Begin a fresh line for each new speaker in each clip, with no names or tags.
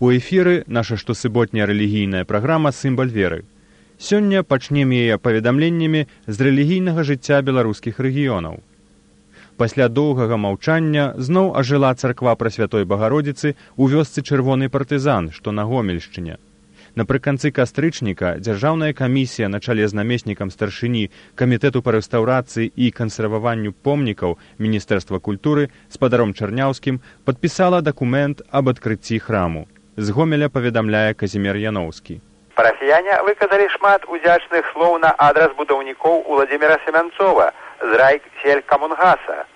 У эфіры наша штосуботняя рэлігійная праграма «Сімбаль веры». Сёння пачнем яе паведамленнямі з рэлігійнага жыцця беларускіх рэгіёнаў. Пасля доўгага маўчання зноў ажыла царква Прасвятой Багародзіцы ў вёсцы Чырвоны партызан, што на Гомельшчыне. Напрыканцы кастрычніка дзяржаўная камісія на чале з намеснікам старшыні Камітэту па рэстаўрацыі і кансерваванню помнікаў Міністэрства культуры спадаром Чарняўскім падпісала дакумент аб адкрыцці храму. З Гомеля паведамляе Казімір Яноўскі.
Парафіяне выказалі шмат удзячных слоў на адрас будаўнікоў Уладзіміра Семянцова з райселькамунгаса,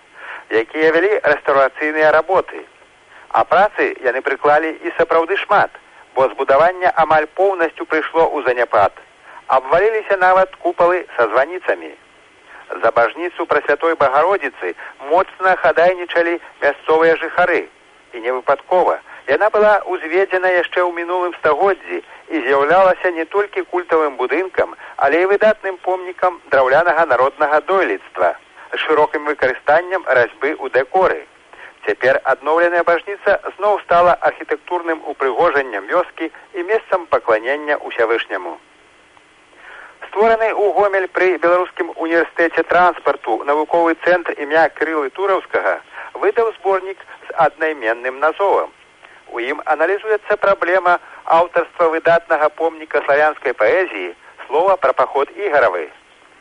якія вялі рэстаўрацыйныя работы. А працы яны прыклалі і сапраўды шмат, бо збудаванне амаль поўнасцю прыйшло ў заняпад. Абваліліся нават купалы са званіцамі. За бажніцу Прасвятой Багародзіцы моцна хадайнічалі мясцовыя жыхары. І не выпадкова. Яна была узведзена яшчэ ў мінулым стагоддзі і з'яўлялася не толькі культавым будынкам, але і выдатным помнікам драўлянага народнага дойлідства з шырокім выкарыстаннем разьбы ў дэкоры. Цяпер адноўленая бажніца зноў стала архітэктурным упрыгожаннем вёскі і месцам пакланення ўсявышняму. Створаны ў Гомель пры Беларускім універсітэце транспарту навуковы цэнтр імя Кірылы Тураўскага выдаў зборнік з аднайменным назовам. У ім аналізуецца праблема аўтарства выдатнага помніка славянскай паэзіі слова пра паход Ігаравы.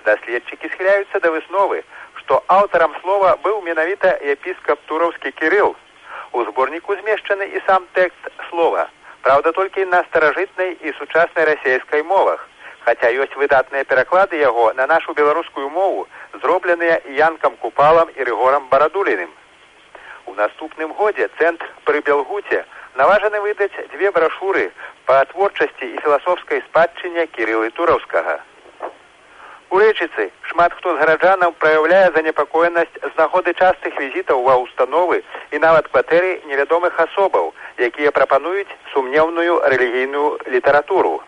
Даследчыкі схіляюцца да высновы, што аўтарам слова быў менавіта епіскап Тураўскі Кірыл. У зборніку змешчаны і сам тэкст слова, праўда, толькі на старажытнай і сучаснай расейскай мовах, хаця ёсць выдатныя пераклады яго на нашу беларускую мову, зробленыя Янкам Купалам і Рыгорам Барадуліным. У наступным годзе цэнтр пры Белгуце наважаны выдаць 2 брашуры па творчасці і філасофскай спадчыне Кірылы Тураўскага. У Рэчыцы шмат хто з гараджанаў праяўляе занепакоенасць з нагоды частых візітаў ва ўстановы і нават кватэры невядомых асобаў, якія прапануюць сумнеўную рэлігійную літаратуру.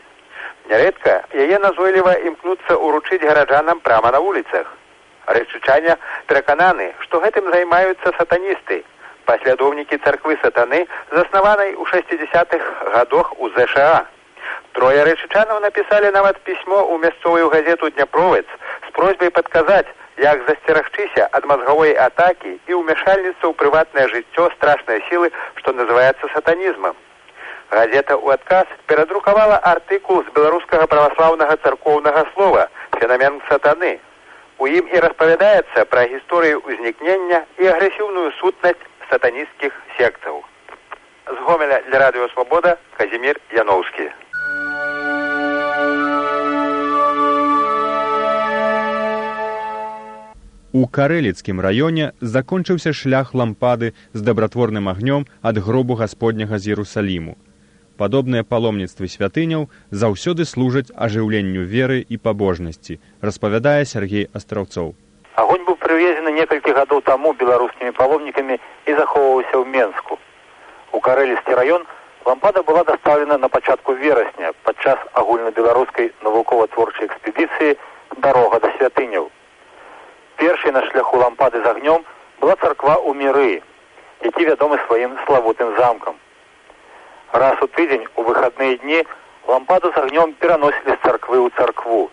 Нярэдка яе назойліва імкнуцца ўручыць гараджанам прама на вуліцах. Рэчычане перакананы, што гэтым займаюцца сатаністы, паслядоўнікі царквы сатаны, заснаванай у 60-х гадах у ЗША. 3 рэчычанаў напісалі нават пісьмо ў мясцовую газету «Дняпровец» з просьбай падказаць, як засцерагчыся ад мазгавой атакі і ўмяшальніцтва ў прыватнае жыццё страшнай сілы, што называецца сатанізмам. Газета ў адказ перадрукавала артыкул з беларускага праваслаўнага царкоўнага слова «Фенамен сатаны». У ім і распавядаецца пра гісторыю ўзнікнення і агрэсіўную сутнасць сатанісцкіх сектаў. З Гомеля для Радыё Свабода Казімір Яноўскі.
У Карэліцкім раёне закончыўся шлях лампады з дабратворным агнём ад гробу Гасподняга з Єрусаліму. Падобныя паломніцтвы святыняў заўсёды служаць ажыўленню веры і пабожнасці, распавядае Сергей Астраўцоў.
Агонь быў прывезены некалькі гадоў таму беларускімі паломнікамі і захоўваўся ў Менску. У Карэліцкі раён лампада была дастаўлена на пачатку верасня падчас агульнабеларускай навукова-творчай экспедыцыі «Дарога да святыняў». Першай на шляху лампады з агнём была царква ў Міры, які вядомы сваім славутым замкам. Раз у тыдзень у выхадныя дні лампаду з агнём пераносілі з царквы ў царкву.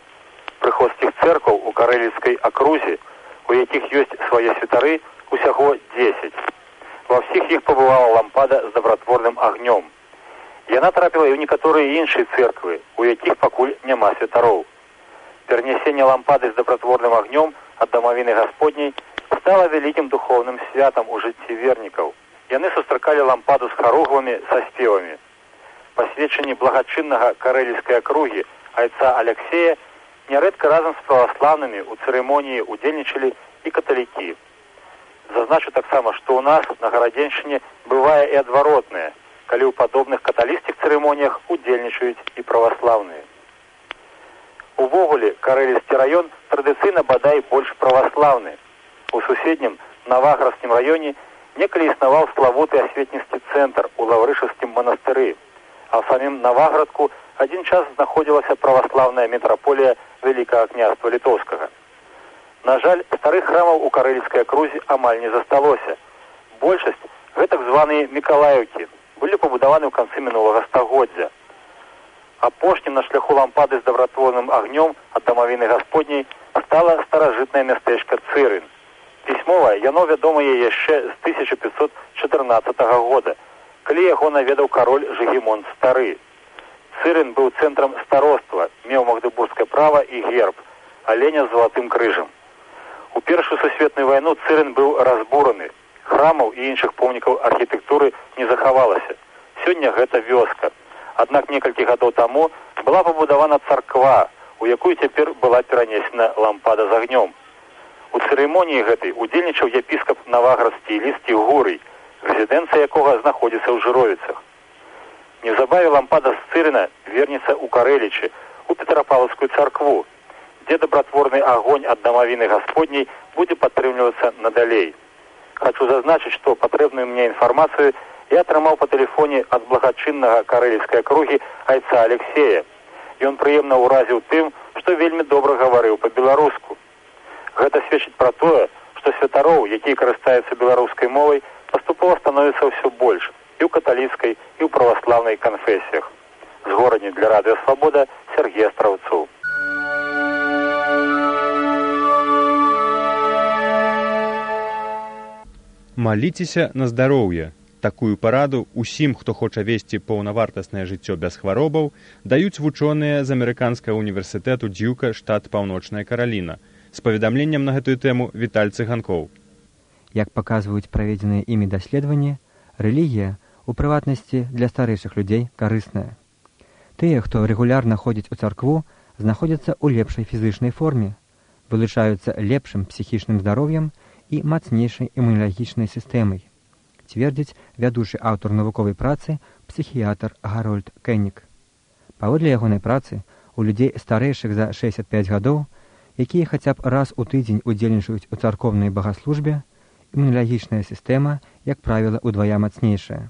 Прыходскіх цэркваў у Карэліцкай акрузе, у якіх ёсць свае святары, усяго 10. Ва ўсіх іх пабывала лампада з дабратворным агнём. Яна трапіла і ў некаторыя іншыя цэрквы, у якіх пакуль няма святароў. Перанясенне лампады з дабратворным агнём ад дамавіны Гасподняй стала вялікім духоўным святам у жыцці вернікаў. Яны сустракалі лампаду з харугвамі са спевамі. Па сведчанні благачыннага карэліцкай акругі айца Аляксея нярэдка разам з праваслаўнымі ў цырымоніі удзельнічалі і каталікі. Зазначу таксама, што ў нас на Гарадзеншчыне бывае і адваротнае, калі ў падобных каталіцкіх цырымоніях удзельнічаюць і праваслаўныя. Увогуле, Карэліцкі раён традыцыйна бадай больш праваслаўны. У суседнім Наваградскім раёне некалі існаваў славуты асветніцкі цэнтр у Лаўрышаўскім манастыры, а ў самім Наваградку адзін час знаходзілася праваслаўная мітраполія Вялікага княства Літоўскага. На жаль, старых храмаў у Карэліцкай акрузе амаль не засталося. Большасць гэта так званыя Мікалаеўкі, былі пабудаваны ў канцы мінулага стагоддзя. Апошнім на шляху лампады з добратворным агнём ад дамавіны Гасподняй стала старажытнае мястэчка Цырын. Пісьмова яно вядомае яшчэ з 1514 года, калі яго наведаў кароль Жыгімонт Стары. Цырын быў цэнтрам староства, меў магдыбургскае права і герб, аленя з залатым крыжам. У Першую сусветную вайну Цырын быў разбураны. Храмаў і іншых помнікаў архітэктуры не захавалася. Сёння гэта вёска. Аднак некалькі гадоў таму была пабудавана царква, у якую цяпер была перанесена лампада з агнём. У цырымоніі гэтай удзельнічаў епіскап Наваградскі Лісцій Гурый, рэзідэнцыя якога знаходзіцца ў Жыровіцах. Неўзабаве лампада з Цырына вернецца ў Карэлічы, у Петропавлаўскую царкву, дзе добратворны агонь ад дамавіны Гасподняй будзе падтрымлівацца надалей. Хачу зазначыць, што патрэбную мне інфармацыю я атрымаў па тэлефоне ад благачыннага карэліцкай акругі айца Алексея. Ён прыемна ўразіў тым, што вельмі добра гаварыў па-беларуску. Гэта сведчыць пра тое, што святароў, якія карыстаюцца беларускай мовай, паступова становіцца ўсё больш і ў каталіцкай, і ў праваслаўнай канфесіях. З горадні для радыё Свабода Сергей Астраўцоў.
Маліцеся на здароўе. Такую параду усім, хто хоча весці паўнавартаснае жыццё без хваробаў, даюць вучоныя з амерыканскага універсітэту Дьюка, штат Паўночная Караліна. З паведамленнем на гэтую тэму Віталь Цыганкоў.
Як паказваюць праведзеныя імі даследаванні, рэлігія, у прыватнасці для старэйшых людзей, карысная. Тыя, хто рэгулярна ходзіць у царкву, знаходзяцца ў лепшай фізычнай форме, вылучаюцца лепшым псіхічным здароўем і мацнейшай імуналагічнай сістэмай, цвердзіць вядучы аўтар навуковай працы псіхіятр Гарольд Кеннік. Паводле ягонай працы, у людзей старэйшых за 65 гадоў, якія хаця б раз у тыдзень удзельнічаюць у царкоўнай багаслужбе, імуналагічная сістэма, як правіла, удвая мацнейшая.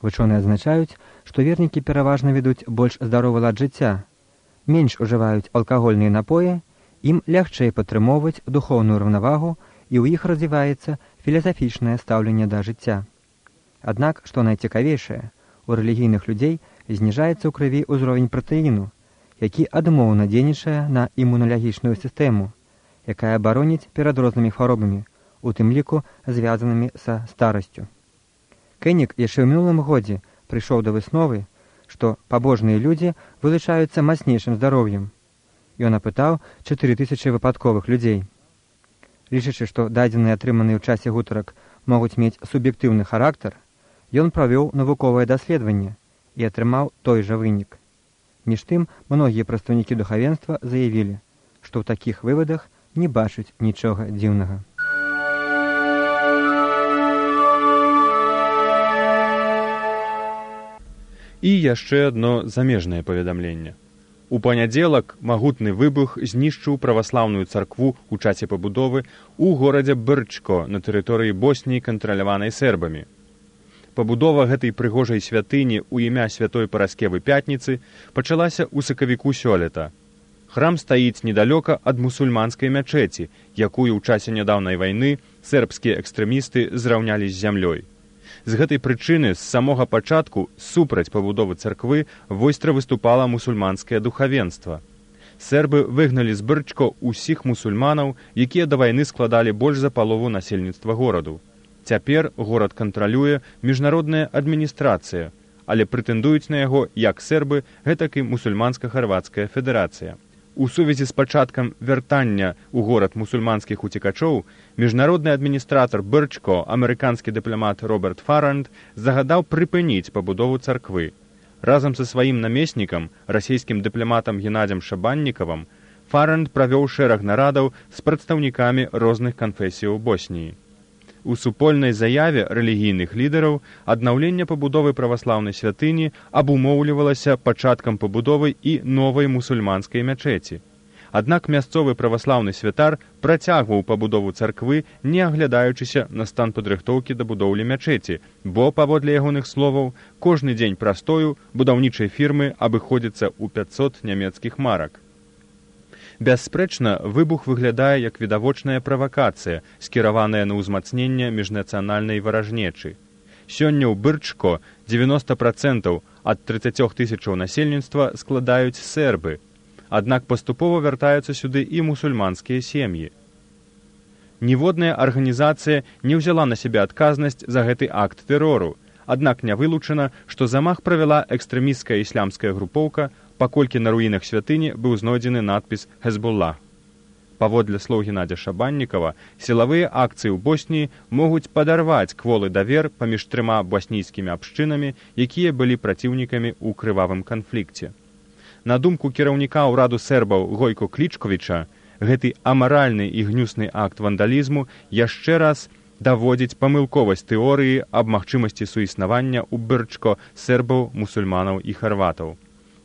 Вучоныя адзначаюць, што вернікі пераважна ведуць больш здаровы лад жыцця, менш ужываюць алкагольныя напоі, ім лягчэй падтрымоўваць духоўную раўнавагу і ў іх развіваецца філасафічнае стаўленне да жыцця. Аднак, што найцікавейшае, у рэлігійных людзей зніжаецца ў крыві ўзровень пратэіну, які адмоўна дзейнічае на імуналагічную сістэму, якая абароніць перад рознымі хваробамі, у тым ліку звязанымі са старасцю. Кеннік яшчэ ў мінулым годзе прыйшоў да высновы, што пабожныя людзі вылучаюцца мацнейшым здароўем. Ён апытаў 4000 выпадковых людзей. Лічачы, што дадзеныя атрыманыя ў часе гутарак могуць мець суб'ектыўны характар, ён правёў навуковае даследаванне і атрымаў той жа вынік. Між тым, многія прадстаўнікі духавенства заявілі, што ў такіх вывадах не бачаць нічога дзіўнага.
І яшчэ адно замежнае паведамленне. У панядзелак магутны выбух знішчыў праваслаўную царкву ў часе пабудовы ў горадзе Брчко на тэрыторыі Босніі, кантраляванай сербамі. Пабудова гэтай прыгожай святыні ў імя святой Параскевы Пятніцы пачалася ў сакавіку сёлета. Храм стаіць недалёка ад мусульманскай мячэці, якую ў часе нядаўнай вайны сербскія экстрэмісты зраўнялі з зямлёй. З гэтай прычыны з самога пачатку супраць пабудовы царквы востра выступала мусульманскае духавенства. Сербы выгналі з Брчко ўсіх мусульманаў, якія да вайны складалі больш за палову насельніцтва гораду. Цяпер горад кантралюе міжнародная адміністрацыя, але прэтэндуюць на яго як сербы, гэтак і мусульманска-харвацкая федэрацыя. У сувязі з пачаткам вяртання ў горад мусульманскіх уцекачоў, міжнародны адміністратар Брчко, амерыканскі дыпламат Роберт Фаранд, загадаў прыпыніць пабудову царквы. Разам са сваім намеснікам, расійскім дыпламатам Геннадзем Шабаннікавым, Фаранд правёў шэраг нарадаў з прадстаўнікамі розных канфесіяў Босніі. У супольнай заяве рэлігійных лідараў аднаўленне пабудовы праваслаўнай святыні абумоўлівалася пачаткам пабудовы і новай мусульманскай мячэці. Аднак мясцовы праваслаўны святар працягваў пабудову царквы, не аглядаючыся на стан падрыхтоўкі да будоўлі мячэці, бо, паводле ягоных словаў, кожны дзень прастою будаўнічай фірмы абыходзіцца ў 500 нямецкіх марак. Бясспрэчна, выбух выглядае як відавочная правакацыя, скіраваная на ўзмацненне міжнацыянальнай варажнечы. Сёння ў Бырчко 90% ад 30 тысячаў насельніцтва складаюць сербы, аднак паступова вяртаюцца сюды і мусульманскія сем'і. Ніводная арганізацыя не ўзяла на сябе адказнасць за гэты акт тэрору, аднак не вылучана, што замах правяла экстрэмісцкая іслямская групоўка, паколькі на руінах святыні быў знойдзены надпіс «Хезбуллах». Паводле слоў Геннадзя Шабаннікава, сілавыя акцыі ў Босніі могуць падарваць кволы давер паміж трыма боснійскімі абшчынамі, якія былі праціўнікамі ў крывавым канфлікце. На думку кіраўніка ўраду сербаў Гойко Клічковіча, гэты амаральны і гнюсны акт вандалізму яшчэ раз даводзіць памылковасць тэорыі аб магчымасці суіснавання ў Бырчко сербаў, мусульманаў і харватаў.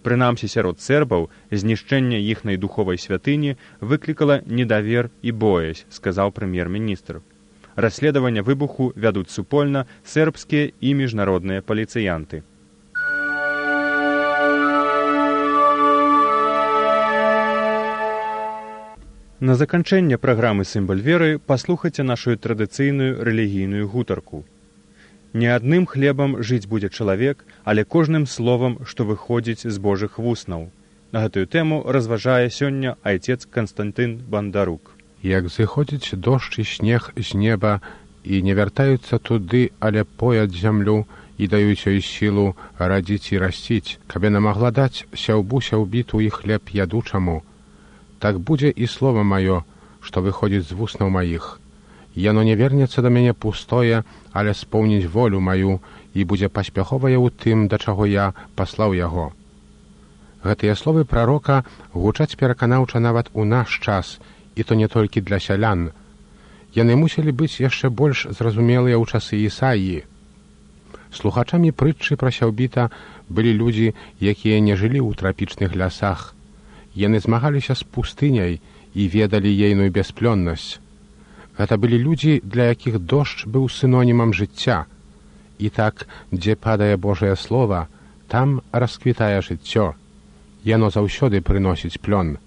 Прынамсі сярод сербаў знішчэнне іхнай духовай святыні выклікала недавер і боязь, сказаў прэм'ер-міністр. Расследаванне выбуху вядуць супольна сербскія і міжнародныя паліцыянты. На заканчэнне праграмы «Сімбаль веры» паслухайце нашу традыцыйную рэлігійную гутарку. Не адным хлебам жыць будзе чалавек, але кожным словам, што выходзіць з Божых вуснаў. На гэтую тэму разважае сёння айцец Канстантын Бандарук.
Як зыходзіць дождж і снег з неба, і не вяртаюцца туды, але пояць зямлю і даюць ёй сілу радзіць і расціць, каб яна магла даць сяўбу сяўбіту і хлеб ядучаму. Так будзе і слова маё, што выходзіць з вуснаў маіх. Яно не вернецца да мяне пустое, але споўніць волю маю і будзе паспяховае ў тым, да чаго я паслаў яго. Гэтыя словы прарока гучаць пераканаўча нават у наш час, і то не толькі для сялян. Яны мусілі быць яшчэ больш зразумелыя ў часы Ісаіі. Слухачамі прытчы пра сяўбіта былі людзі, якія не жылі ў трапічных лясах. Яны змагаліся з пустыняй і ведалі ейную бясплённасць. Гэта былі людзі, для якіх дождж быў сінонімам жыцця. І так, дзе падае Божае слова, там расквітае жыццё. Яно заўсёды прыносіць плён.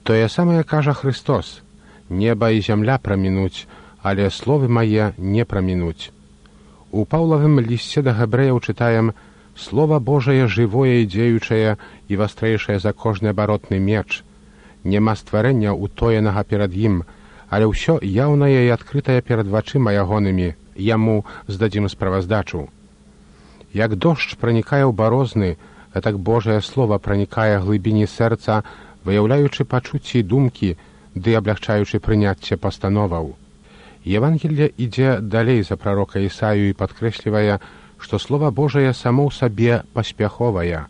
Тое самае кажа Христос: неба і зямля прамінуць, але словы мае не прамінуць. У Паўлавым лісце да габрэяў чытаем: «Слова Божае жывое і дзеючае і вастрэйшае за кожны абаротны меч. Нема стварэння ўтоенага перад ім, але ўсё яўнае і адкрытае перад вачыма ягонымі, яму здадзім справаздачу». Як дождж пранікае ў барозны, гэтак Божае слова пранікае глыбіні сэрца, выяўляючы пачуцці і думкі, ды аблягчаючы прыняцце пастановаў. Евангелле ідзе далей за прарока Ісаю і падкрэслівае, што слова Божае само ў сабе паспяховае.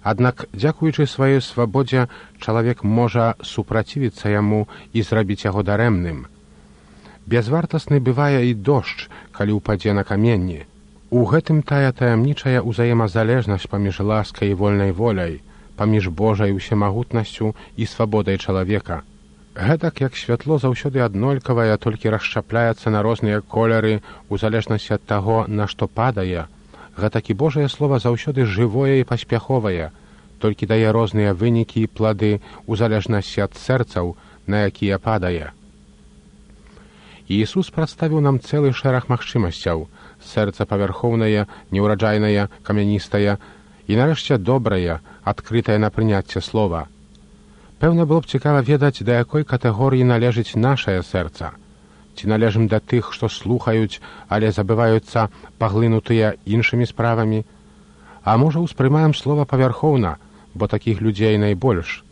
Аднак, дзякуючы сваёй свабодзе, чалавек можа супрацівіцца яму і зрабіць яго дарэмным. Бязвартасны бывае і дождж, калі ўпадзе на каменні. У гэтым тая таямнічая ўзаемазалежнасць паміж ласкай і вольнай воляй, паміж Божай усемагутнасцю і свабодай чалавека. Гэтак, як святло заўсёды аднолькавае, толькі расшчапляецца на розныя колеры у залежнасці ад таго, на што падае, гэтак і Божае слова заўсёды жывое і паспяховае, толькі дае розныя вынікі і плады у залежнасці ад сэрцаў, на якія падае. Іісус прадставіў нам цэлы шэраг магчымасцяў: сэрца павярхоўнае, неўраджайнае, камяністае і, нарэшце, добрае, адкрытае на прыняцце слова. Пэўна было б цікава ведаць, да якой катэгорыі належыць нашае сэрца. Ці належым да тых, што слухаюць, але забываюцца паглынутыя іншымі справамі? А можа, успрымаем слова павярхоўна, бо такіх людзей найбольш.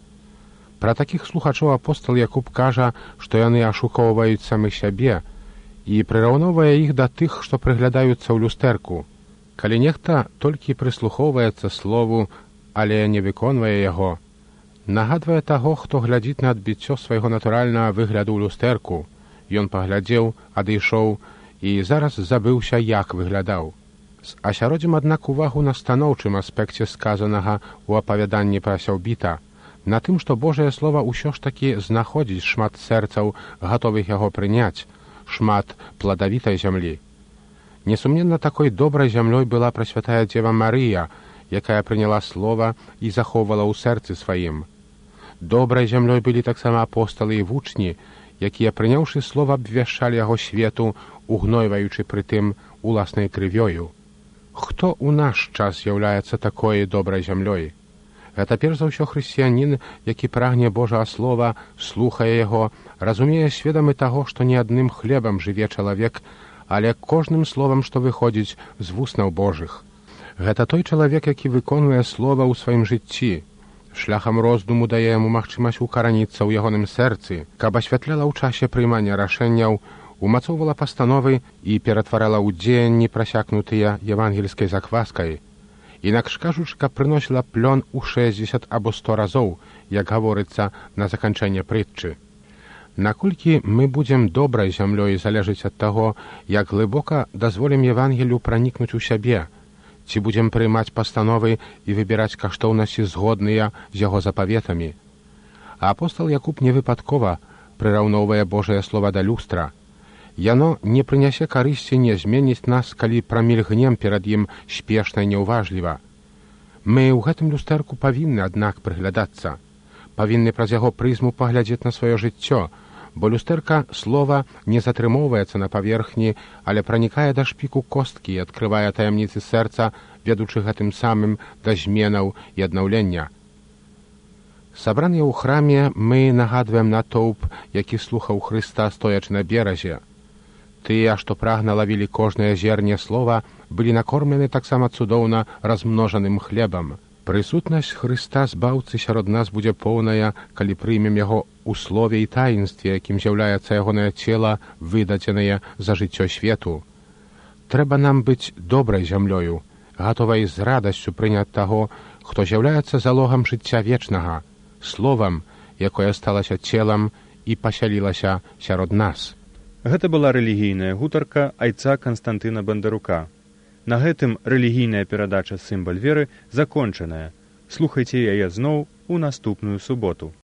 Пра такіх слухачоў апостал Якуб кажа, што яны ашукоўваюць самых сябе і прыраўноўвае іх да тых, што прыглядаюцца ў люстэрку. Калі нехта толькі прыслухоўваецца слову, але не выконвае яго, нагадвае таго, хто глядзіць на адбіццё свайго натуральнага выгляду ў люстэрку. Ён паглядзеў, адышоў і зараз забыўся, як выглядаў. Асяродзім, аднак, увагу на станоўчым аспекце сказанага ў апавяданні пра сяўбіта, на тым, што Божае слова ўсё ж такі знаходзіць шмат сэрцаў, гатовых яго прыняць, шмат пладавітай зямлі. Несумненна, такой добрай зямлёй была прасвятая Дзева Марыя, якая прыняла слова і захоўвала ў сэрцы сваім. Добрай зямлёй былі таксама апосталы і вучні, якія, прыняўшы слова, абвяшчалі яго свету, угнойваючы пры тым уласнай крывёю. Хто ў наш час з'яўляецца такой добрай зямлёй? Гэта перш за ўсё хрысціянін, які прагне Божага слова, слухае яго, разумее сведамы таго, што не адным хлебам жыве чалавек, але кожным словам, што выходзіць з вуснаў Божых. Гэта той чалавек, які выконвае слова ў сваім жыцці. Шляхам роздуму дае яму магчымасць укараніцца ў ягоным сэрцы, каб асвятляла ў часе прыймання рашэнняў, умацоўвала пастановы і ператварала ў дзеянні прасякнутыя евангельскай закваскай. Інакш кажучы, каб прыносіла плён у 60 або 100 разоў, як гаворыцца на заканчэнне прытчы. Наколькі мы будзем добрай зямлёй, залежыць ад таго, як глыбока дазволім Евангелію пранікнуць у сябе, ці будзем прыймаць пастановы і выбіраць каштоўнасці згодныя з яго запаветамі. Апостал Якуб невыпадкова прыраўноўвае Божае слова да люстра. Яно не прынясе карысці, не зменіць нас, калі прамільгнем перад ім спешна і няўважліва. Мы ў гэтым люстэрку павінны, аднак, прыглядацца. Павінны праз яго прызму паглядзець на сваё жыццё, бо люстэрка слова не затрымоўваецца на паверхні, але пранікае да шпіку косткі і адкрывае таямніцы сэрца, ведучы гэтым самым да зменаў і аднаўлення. Сабраныя ў храме, мы нагадваем натоўп, які слухаў Хрыста, стоячы на беразе. Тыя, што прагна лавілі кожнае зерне слова, былі накормлены таксама цудоўна размножаным хлебам. Прысутнасць Хрыста збаўцы сярод нас будзе поўная, калі прымем яго ў слове і таінстве, якім з'яўляецца ягонае цела, выдадзенае за жыццё свету. Трэба нам быць добрай зямлёю, гатовай з радасцю прыняць таго, хто з'яўляецца залогам жыцця вечнага, словам, якое сталася целам і пасялілася сярод нас.
Гэта была рэлігійная гутарка айца Канстантына Бандарука. На гэтым рэлігійная перадача «Сімбаль веры» закончаная. Слухайце яе зноў у наступную суботу.